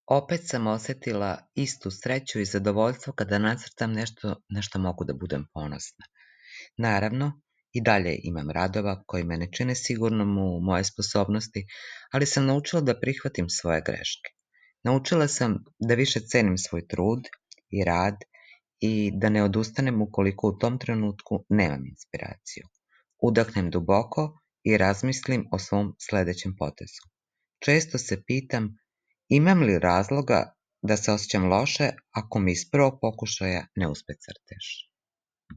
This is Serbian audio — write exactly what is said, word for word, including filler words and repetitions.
Opet sam osetila istu sreću i zadovoljstvo kada nacrtam nešto na što mogu da budem ponosna. Naravno, i dalje imam radova koji me ne čine sigurnom u moje sposobnosti, ali sam naučila da prihvatim svoje greške. Naučila sam da više cenim svoj trud i rad i da ne odustanem ukoliko u tom trenutku nemam inspiraciju. Udahnem duboko i razmislim o svom sledećem potezu. Često se pitam imam li razloga da se osjećam loše ako mi iz prvog pokušaja ne uspe crtež.